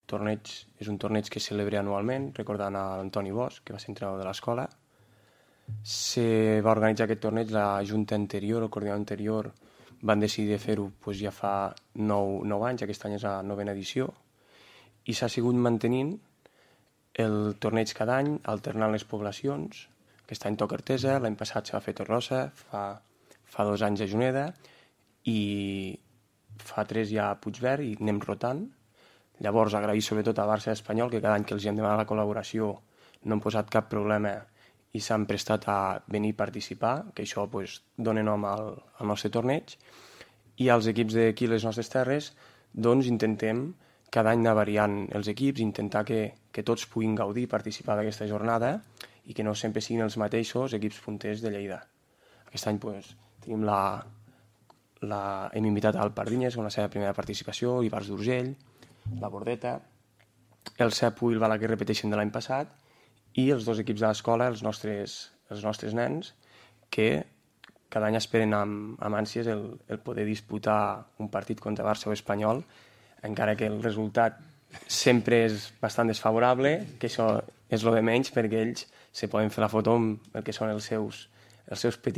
torneig és un torneig que es celebra anualment, recordant a l'Antoni Bosch, que va ser entrenador de l'escola. Se va organitzar aquest torneig, la junta anterior, el coordinador anterior, van decidir fer-ho ja fa 9 anys, aquest any és la 9ª edició, i s'ha sigut mantenint el torneig cada any, alternant les poblacions. Aquest any toca Artesa, l'any passat se va fer Torrossa, fa 2 anys a Juneda, i fa 3 ja a Puigverd, i anem rotant. Llavors, agrair sobretot a Barça Espanyol, que cada any que els hem demanat la col·laboració no han posat cap problema i s'han prestat a venir a participar, que això dona nom al nostre torneig. I als equips d'aquí a les nostres terres intentem cada any anar variant els equips, intentar que tots puguin gaudir i participar d'aquesta jornada i que no sempre siguin els mateixos equips punters de Lleida. Aquest any tenim hem invitat al Pardinyes amb la seva primera participació, Ivars d'Urgell, la Bordeta, el Cepu i el Balaguer repeteixen de l'any passat, i els 2 equips de l'escola, els nostres nens, que cada any esperen amb ànsies el poder disputar un partit contra Barça o Espanyol, encara que el resultat sempre és bastant desfavorable, que això és el de menys, perquè ells se poden fer la foto amb el que són els seus petits